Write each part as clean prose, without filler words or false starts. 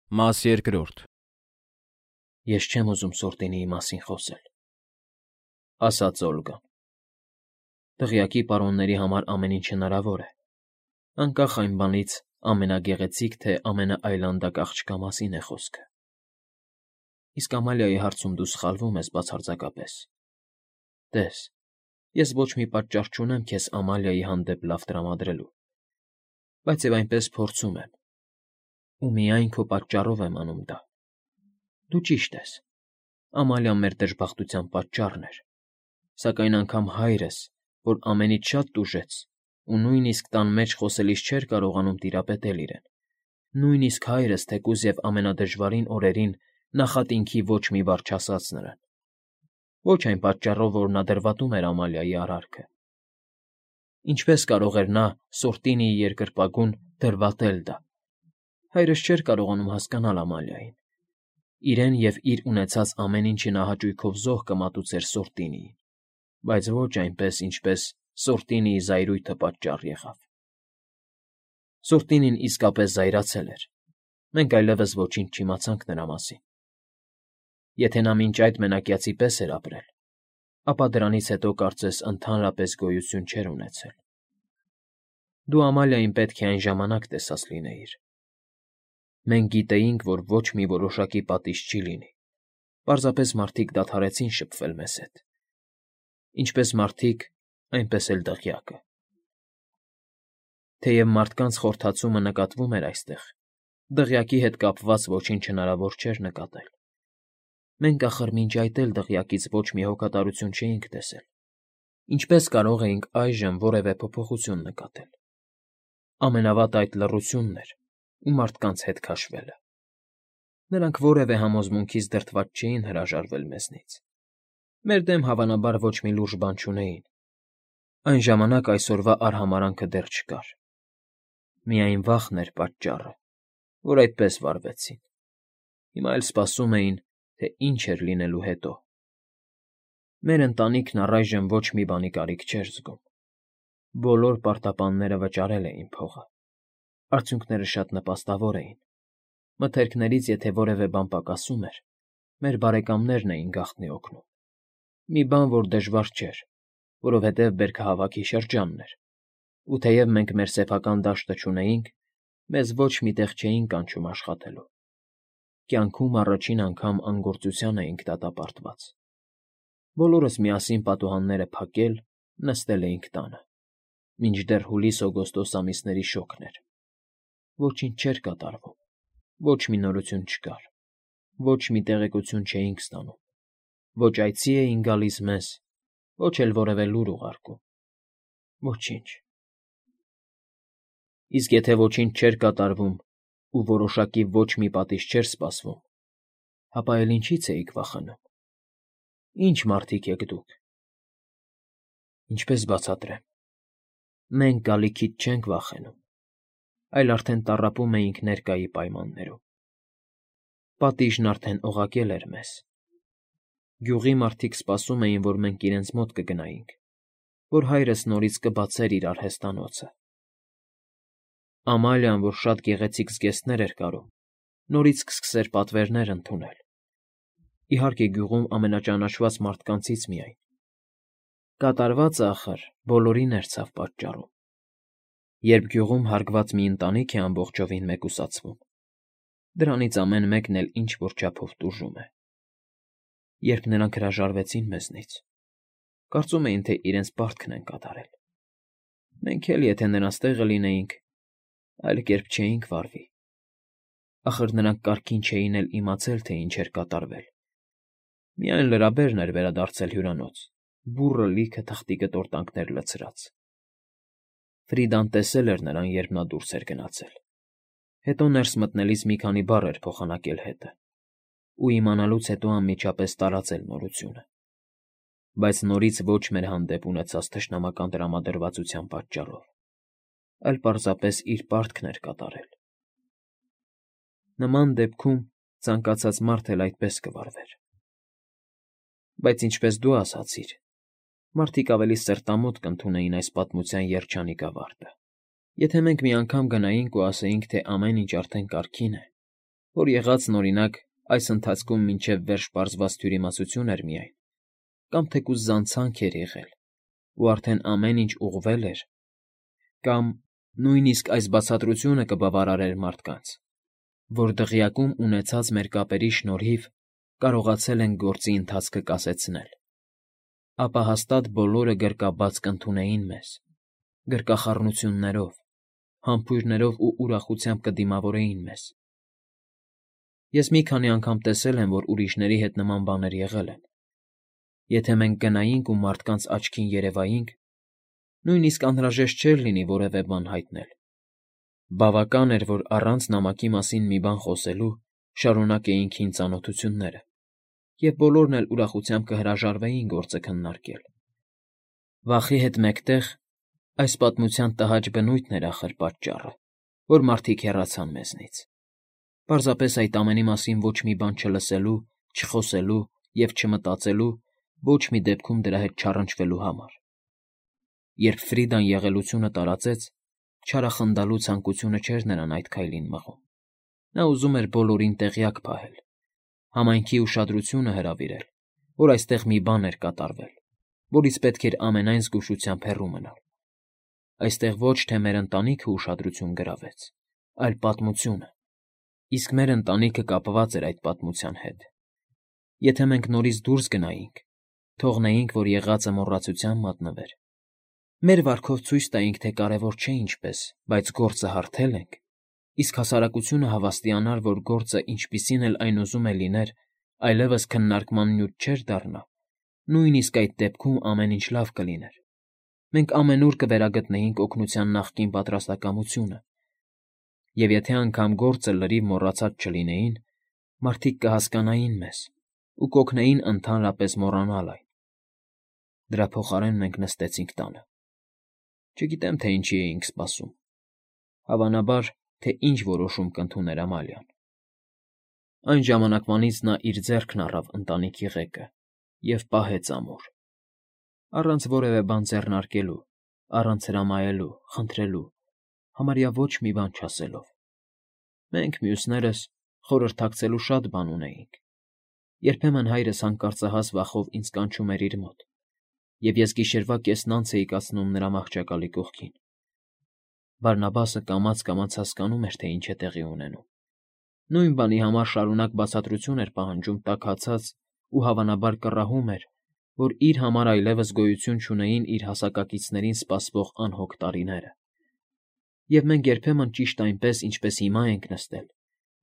Մաս երկրորդ։ Ես չեմ ուզում Սորտինիի մասին խոսել, ասաց Օլգան։ Դղյակի պարոնների համար ամեն ինչ հնարավոր է, անկախ այն բանից ամենագեղեցիկ թե ամենաայլանդակ աղջկա մասին է խոսքը։ Իսկ Ամալիայի հարցում դու սխալվում ես բացարձակապես։ Տես, ես ոչ մի պատճառ չունեմ քեզ Ամալիայի հանդեպ լավ տրամադրելու, բայց և այնպես փորձում եմ, ու միայն քո պատճառով եմ անում դա։ Դու ճիշտ ես, Ամալիան մեր դժբախտության պատճառն էր, սակայն անգամ հայրս, որ ամենից շատ տուժեց ու նույնիսկ տան մեջ խոսելիս չէր կարողանում տիրապետել իրեն, նույնիսկ հայրս, թեկուզ և ամենադժվարին օրերին նախատինքի ոչ մի բառ չասաց նրան, ոչ այն պատճառով, որ նա դրվատում էր Ամալիայի արարքը։ Ինչպես կարող էր նա Սորտինիի երկրպագուն դրվատել դա։ Հայրս չէր կարողանում հասկանալ Ամալիային։ Իրեն և իր ունեցած ամեն ինչի նա հաճույքով զոհ կմատուցեր Սորտինիին, բայց ոչ այնպես, ինչպես Սորտինիի զայրույթը պատճառ եղավ։ Սորտինին իսկապես զայրացել էր, մենք այլևս ոչինչ չիմացանք նրա մասին։ Եթե նա մինչ այդ մենակյացի պես էր ապրել, ապա դրանից հետո կարծես ընդհանրապես գոյություն չէր ունեցել։ Դու Ամալիային պետք է այն ժամանակ տեսած լինեիր։ Մենք գիտեինք, որ ոչ մի որոշակի պատիժ չի լինի, պարզապես մարդիկ դադարեցին շփվել մեզ հետ։ Ինչպես մարդիկ, այնպես էլ դղյակը։ Թեև մարդկանց խորհրդացումը նկատվում էր այստեղ, դղյակի հետ կապված ոչինչ հնարավոր չէր նկատել։ Մենք, ախր, մինչ այդ էլ դղյակից ոչ մի հոգատարություն չէինք տեսել, ինչպես կարող էինք այժմ որևէ փոփոխություն նկատել։ Ամենավատը այդ լռությունն էր ու մարդկանց հետ քաշվելը։ Նրանք որևէ համոզմունքից դրդված չէին հրաժարվել մեզնից։ Մեր դեմ, հավանաբար, ոչ մի լուրջ բան չունեին։ Այն ժամանակ այսօրվա արհամարհանքը դեռ չկար։ Միայն վախն էր պատճառը, որ այդպես վարվեցին։ Հիմա էլ սպասում էին, թե ինչ էր լինելու հետո։ Մեր ընտանիքն առայժմ ոչ մի բանի կարիք չէր զգում։ Բոլոր պարտապանները վճարել էին փողը։ Արդյունքները շատ նպաստավոր էին։ Մթերքներից եթե որևէ բան պակասում էր, մեր բարեկամներն էին գաղտնի օգնում։ Մի բան, որ դժվար չէր, որովհետև բերքահավաքի շրջանն էր, ու թեև մենք մեր սեփական դաշտը չունեինք, մեզ ոչ մի տեղ չէին կանչում աշխատելու։ Կյանքում առաջին անգամ անգործության էինք դատապարտված։ Բոլորս միասին պատուհանները փակել, նստել էինք տանը, մինչդեռ հուլիս֊օգոստոս ամիսների շոգն էր։ Ոչինչ չէր կատարվում, ոչ մի նորություն չկար, ոչ մի տեղեկություն չէինք ստանում, ոչ այցի էին գալիս մեզ, ոչ էլ որևէ լուր ուղարկում։ Ոչինչ։ Իսկ եթե ոչինչ չէր կատարվում ու որոշակի ոչ մի պատիժ չէր սպասվում, ապա էլ ինչի՞ց էիք վախենում։ Ի՞նչ մարդիկ եք դուք։ Ինչպես բացատրեմ։ Մենք գալիքից չենք վախենում, այլ արդեն տառապում էինք ներկայի պայմաններում։ Պատիժն արդեն օղակել էր մեզ։ Գյուղի մարդիկ սպասում էին, որ մենք իրենց մոտ կգնայինք, որ հայրս նորից կբացեր իր արհեստանոցը։ Ամալիան, որ շատ գեղեցիկ զգեստներ էր կարում, նորից կսկսեր պատվերներ ընդունել։ Իհարկե, գյուղում ամենաճանաչված մարդկանցից միայն։ Կատարվածը, ախր, բոլորին էր ցավ պատճառում։ Երբ գյուղում հարգված մի ընտանիք է ամբողջովին մեկուսացվում, դրանից ամեն մեկն էլ ինչ֊որ չափով տուժում է։ Երբ նրանք հրաժարվեցին մեզնից, կարծում էին, թե իրենց պարտքն են կատարել։ Մենք էլ, եթե նրանց տեղը լինեինք, այլ կերպ չէինք վարվի։ Ախր նրանք կարգին չէին էլ իմացել, թե ինչ էր կատարվել։ Միայն լրաբերն էր վերադարձել հյուրանոց, բուռը լիքը թղթի կտորտանքներ լցրած։ Ֆրիդան տեսել էր նրան, երբ նա դուրս էր գնացել։ Հետո ներս մտնելիս մի քանի բառ էր փոխանակել հետը, ու իմանալուց հետո անմիջապես տարածել նորությունը։ Բայց նորից ոչ մեր հանդեպ ունեցած թշնամական տրամադրվածության պատճառով, այլ պարզապես իր պարտքն էր կատարել։ Նման դեպքում ցանկացած մարդ էլ այդպես կվարվեր։ Բայց ինչպես դու ասացիր, մարդիկ ավելի սերտամոտ կընդունեին այս պատմության երջանիկ ավարտը։ Եթե մենք մի անգամ գնայինք ու ասեինք, թե ամեն ինչ արդեն կարգին է, որ եղածն, օրինակ, այս ընթացքում մինչև վերջ պարզված թյուրիմացություն էր միայն, կամ թեկուզ զանցանք էր եղել, ու արդեն ամեն ինչ ուղղվել էր, կամ նույնիսկ այս բացատրությունը կբավարարեր մարդկանց, որ դղյակում ունեցած մեր կապերի շնորհիվ կարողացել ենք գործի ընթացքը կասեցնել, ապա հաստատ բոլորը գրկաբաց կընդունեին մեզ, գրկախառնություններով, համբույրներով ու ուրախությամբ կդիմավորեին մեզ։ Ես մի քանի անգամ տեսել եմ, որ ուրիշների հետ նման բաներ եղել են։ Եթե մենք գնայինք ու մարդկանց աչքին երևայինք, նույնիսկ անհրաժեշտ չէր լինի որևէ բան հայտնել։ Բավական էր, որ առանց նամակի մասին մի բան խոսելու շարունակեինք հին ծանոթությունները, և բոլորն էլ ուրախությամբ կհրաժարվեին գործը քննարկել։ Վախի հետ մեկտեղ այս պատմության տհաճ բնույթն էր ախր պատճառը, որ մարդիկ հեռացան մեզնից։ Պարզապես այդ ամենի մասին ոչ մի բան չլսելու, չխոսելու և չմտածելու, ոչ մի դեպքում դրա հետ չառընչվելու համար։ Երբ Ֆրիդան եղելությունը տարածեց, չարախնդալու ցանկությունը չէր նրան այդ քայլին մղում։ Նա ուզում էր բոլորին տեղյակ պահել, համայնքի ուշադրությունը հրավիրել, որ այստեղ մի բան էր կատարվել, որից պետք էր ամենայն զգուշությամբ հեռու մնալ։ Այստեղ ոչ թե մեր ընտանիքը ուշադրություն գրավեց, այլ պատմությունը, իսկ մեր ընտանիքը կապված էր այդ պատմության հետ։ Եթե մենք նորից դուրս գնայինք, թողնեինք, որ եղածը մոռացության մատնվեր, մեր վարքով ցույց տայինք, թե կարևոր չէ ինչպես, բայց գործը հարթել ենք, իսկ հասարակությունը հավաստիանար, որ գործը, ինչպիսին էլ այն ուզում է լիներ, այլևս քննարկման նյութ չէր դառնա, նույնիսկ այդ դեպքում ամեն ինչ լավ կլիներ։ Մենք ամենուր կվերագտնեինք օգնության նախկին պատրաստակամությունը, և եթե անգամ գործը լրիվ մոռացած չլինեին, մարդիկ կհասկանային մեզ ու կօգնեին ընդհանրապես մոռանալ այն։ Դրա փոխարեն մենք նստեցինք տանը։ Չգիտեմ, թե ինչի էինք սպասում։ Հավանաբար, թե ինչ որոշում կընդուներ Ամալիան։ Այն ժամանակվանից նա իր ձեռքն առավ ընտանիքի ղեկը և պահեց ամուր, առանց որևէ բան ձեռնարկելու, առանց հրամայելու, խնդրելու, համարյա ոչ մի բան չասելով։ Մենք, մյուսներս, խորհրդակցելու շատ բան ունեինք։ Երբեմն հայրս հանկարծահաս վախով ինձ կանչում էր իր մոտ, և ես գիշերվա կեսն անց էի կացնում նրա մահճակալի կողքին։ Բարնաբասը կամաց֊կամաց հասկանում էր, թե ինչ է տեղի ունենում։ Նույն բանի համար շարունակ բացատրություն էր պահանջում տաքացած ու հավանաբար կռահում էր, որ իր համար այլևս գոյություն չունեին իր հասակակիցներին սպասվող անհոգ տարիները։ Եվ մենք երբեմն ճիշտ այնպես, ինչպես հիմա ենք նստել,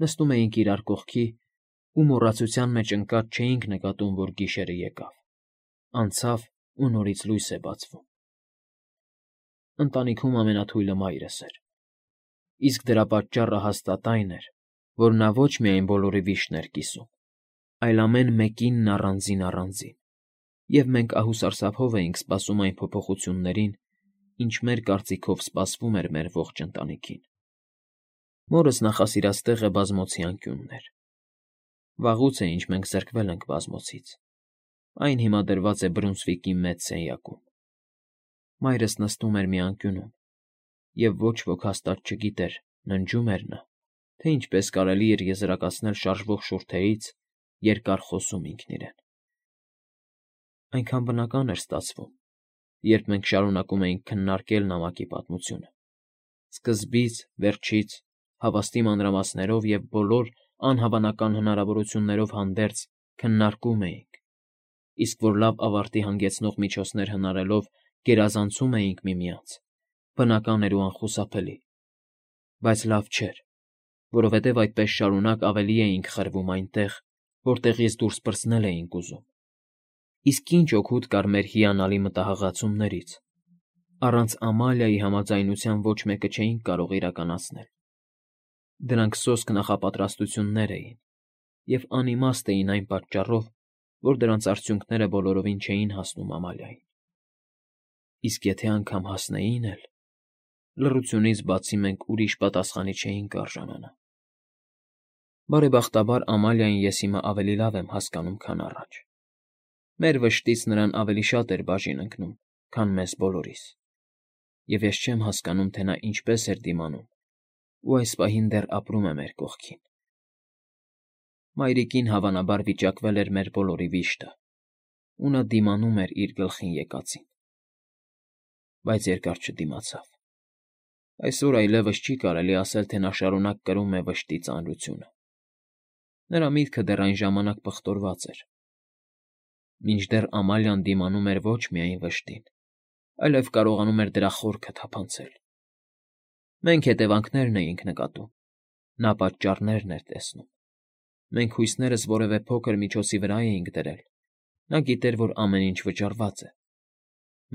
նստում էինք իրար կողքի ու մոռացության մեջ ընկած չէինք նկատում, որ գիշերը եկավ, անցավ ու նորից լույս է բացվում։ Ընտանիքում ամենաթույլը մայրս էր, իսկ դրա պատճառը հաստատ այն էր, որ նա ոչ միայն բոլորի վիշտն էր կիսում, այլ ամեն մեկինն առանձին, և մենք ահուսարսափով էինք սպասում այն փոփոխություններին, ինչ մեր կարծիքով սպասվում էր մեր ողջ ընտանիքին։ Մորս նախասիրած տեղը բազմոցի անկյունն էր։ Վաղուց է, ինչ մենք զրկվել ենք բազմոցից։ Այն հիմա դրված է Բրունսվիկի մեծ սենյակում։ Մայրս նստում էր մի անկյունում, և ոչ ոք հաստատ չգիտեր, ննջում էր նա, թե ինչպես կարելի էր եզրակացնել շարժվող շուրթերից, երկար խոսում ինքն իրեն։ Այնքան բնական էր ստացվում, երբ մենք շարունակում էինք քննարկել նամակի պատմությունը։ Սկզբից, վերջից, հավաստի մանրամասներով և բոլոր անհավանական հնարավորություններով հանդերձ քննարկում էինք, իսկ որ լավ ավարտի հանգեցնող միջոցներ հնարելով գերազանցում էինք միմյանց, բնական էր ու անխուսափելի, բայց լավ չէր, որովհետև այդպես շարունակ ավելի էինք խրվում այնտեղ, որտեղից դուրս պրծնել էինք ուզում։ Իսկ ինչ օգուտ կար մեր հիանալի մտահղացումներից։ Առանց Ամալիայի համաձայնության ոչ մեկը չէինք կարող իրականացնել։ Դրանք սոսկ նախապատրաստություններ էին և անիմաստ էին այն պատճառով, որ դրանց արդյունքները բոլորովին չէին հասնում Ամալիային։ Իսկ եթե անգամ հասնեին էլ, լռությունից բացի մենք ուրիշ պատասխանի չէինք արժանանա։ Բարեբախտաբար Ամալիային ես հիմա ավելի լավ եմ հասկանում, քան առաջ։ Մեր վշտից նրան ավելի շատ էր բաժին ընկնում, քան մեզ բոլորիս, և ես չեմ հասկանում, թե նա ինչպես էր դիմանում ու այս պահին դեռ ապրում է մեր կողքին։ Մայրիկին հավանաբար վիճակվել էր մեր բոլորի վիշտը, ու նա դիմանում էր իր գլխին եկածին։ Բայց երկար չդիմացավ։ Այսօր այլևս չի կարելի ասել, թե նա շարունակ կրում է վշտի ծանրությունը։ Նրա միտքը դեռ այն ժամանակ պղտորված էր։ Մինչդեռ Ամալիան դիմանում էր ոչ միայն վշտին, այլև կարողանում էր դրա խորքը թափանցել։ Մենք հետևանքներն էինք նկատում, նա պատճառներն էր տեսնում։ Մենք հույսներս որևէ փոքր միջոցի վրա էինք դրել, նա գիտեր, որ ամեն ինչ վճարված է։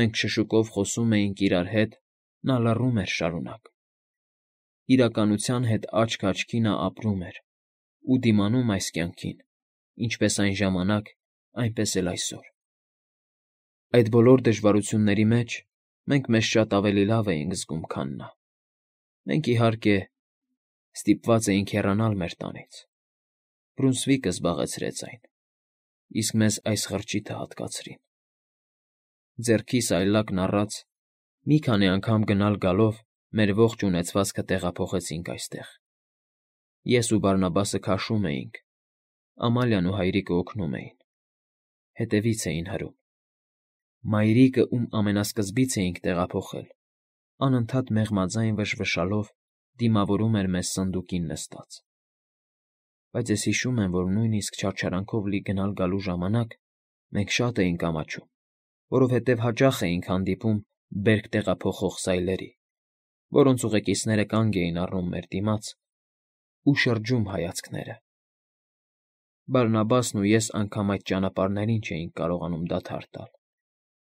Մենք շշուկով խոսում էինք իրար հետ, նա լռում էր շարունակ։ Իրականության հետ աչք աչքի նա ապրում էր ու դիմանում այս կյանքին, ինչպես այն ժամանակ, այնպես էլ այսօր։ Այդ բոլոր դժվարությունների մեջ մենք մեզ շատ ավելի լավ էինք զգում, քան նա։ Մենք, իհարկե, ստիպված էինք հեռանալ մեր տանից։ Բրունսվիկը զբաղեցրեց այն, իսկ մեզ այս խրճիթը հատկացրին։ Ձեռքիս այլակն առած, մի քանի անգամ գնալ֊գալով մեր ողջ ունեցվածքը տեղափոխեցինք այստեղ։ Ես ու Բարնաբասը քաշում էինք, Ամալիան ու հայրիկը օգնում էին, հետևից էին հրում։ Մայրիկը, ում ամենասկզբից էինք տեղափոխել, անընդհատ մեղմաձայն վշվշալով դիմավորում էր մեզ սնդուկին նստած։ Բայց ես հիշում եմ, որ նույնիսկ չարչարանքով լի գնալ֊գալու ժամանակ մենք շատ էինք ամաչում, որովհետև հաճախ էինք հանդիպում բերք տեղափոխող սայլերի, որոնց ուղեկիցները կանգ էին առնում մեր դիմաց ու շրջում հայացքները։ Բարնաբասն ու ես անգամ այդ ճանապարհներին չէինք կարողանում դադար տալ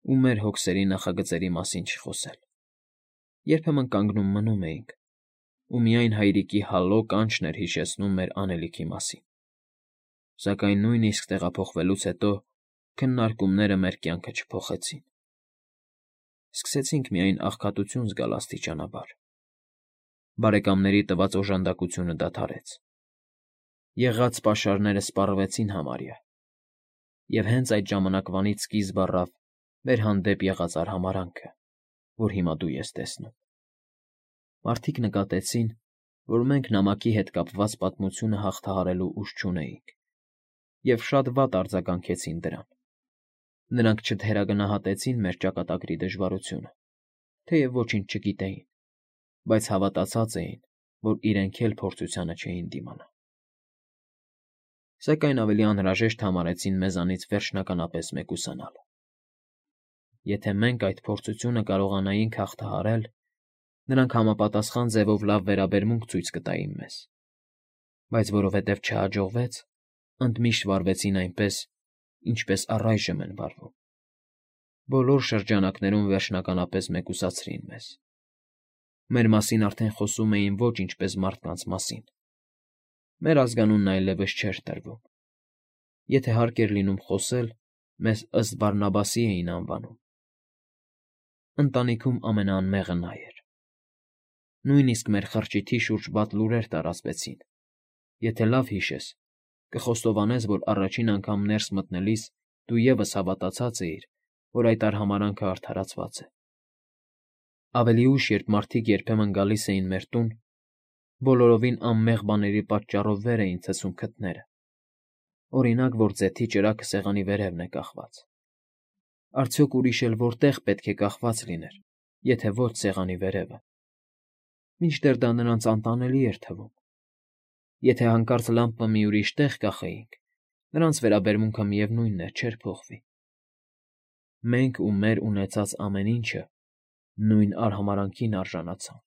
ու մեր հոգսերի նախագծերի մասին չխոսել։ Երբեմն կանգնում մնում էինք, ու միայն հայրիկի հալո կանչն էր հիշեցնում մեր անելիքի մասին։ Սակայն նույնիսկ տեղափոխվելուց հետո քննարկումները մեր կյանքը չփոխեցին։ Սկսեցինք միայն աղքատություն զգալ աստիճանաբար։ Բարեկամների տված օժանդակությունը դադարեց։ Եղած պաշարները սպառվեցին համարյա։ Եվ հենց այդ ժամանակվանից սկիզբ առավ մեր հանդեպ եղած արհամարհանքը, որ հիմա դու ես տեսնում։ Մարդիկ նկատեցին, որ մենք նամակի հետ կապված պատմությունը հաղթահարելու ուժ չունեինք, և շատ վատ արձագանքեցին դրան։ Նրանք չթերագնահատեցին մեր ճակատագրի դժվարությունը, թեև ոչինչ չգիտեին, բայց հավատացած էին, որ իրենք էլ փորձությանը չէին դիմանա։ Սակայն ավելի անհրաժեշտ համարեցին մեզանից վերջնականապես մեկուսանալ։ Եթե մենք այդ փորձությունը կարողանայինք հաղթահարել, նրանք համապատասխան ձևով լավ վերաբերմունք ցույց կտային մեզ, բայց որովհետև չհաջողվեց, ընդմիշտ վարվեցին այնպես, ինչպես առայժմ են վարվում։ Բոլոր շրջանակներում վերջնականապես մեկուսացրին մեզ։ Մեր մասին արդեն խոսում էին ոչ ինչպես մարդկանց մասին։ Մեր ազգանունն այլևս չէր տրվում։ Եթե հարկ էր լինում խոսել, մեզ ըստ Բարնաբասի էին անվանում։ Ընտանիքում ամենաանմեղը նա էր։ Նույնիսկ մեր խրճիթի շուրջ վատ լուրեր տարածվեցին։ Եթե լավ հիշես, կխոստովանես, որ առաջին անգամ ներս մտնելիս դու ևս հավատացած էիր, որ այդ արհամարհանքը արդարացված է։ Ավելի ուշ, երբ մարդիկ երբեմն գալիս էին մեր տուն, բոլորովին անմեղ բաների պատճառով վեր էին ցցում քթները։ Օրինակ, որ ձեթի ճրագը սեղանի վերևն է կախված։ Արդյոք ուրիշ էլ որտեղ պետք է կախված լիներ, եթե ոչ սեղանի վերևը։ Մինչդեռ դա նրանց անտանելի էր թվում։ Եթե հանկարծ լամպը մի ուրիշ տեղ կախեինք, նրանց վերաբերմունքը միևնույնն էր, չէր փոխվի։ Մենք ու մեր ունեցած ամեն ինչը նույն արհամարհանքին արժանացան։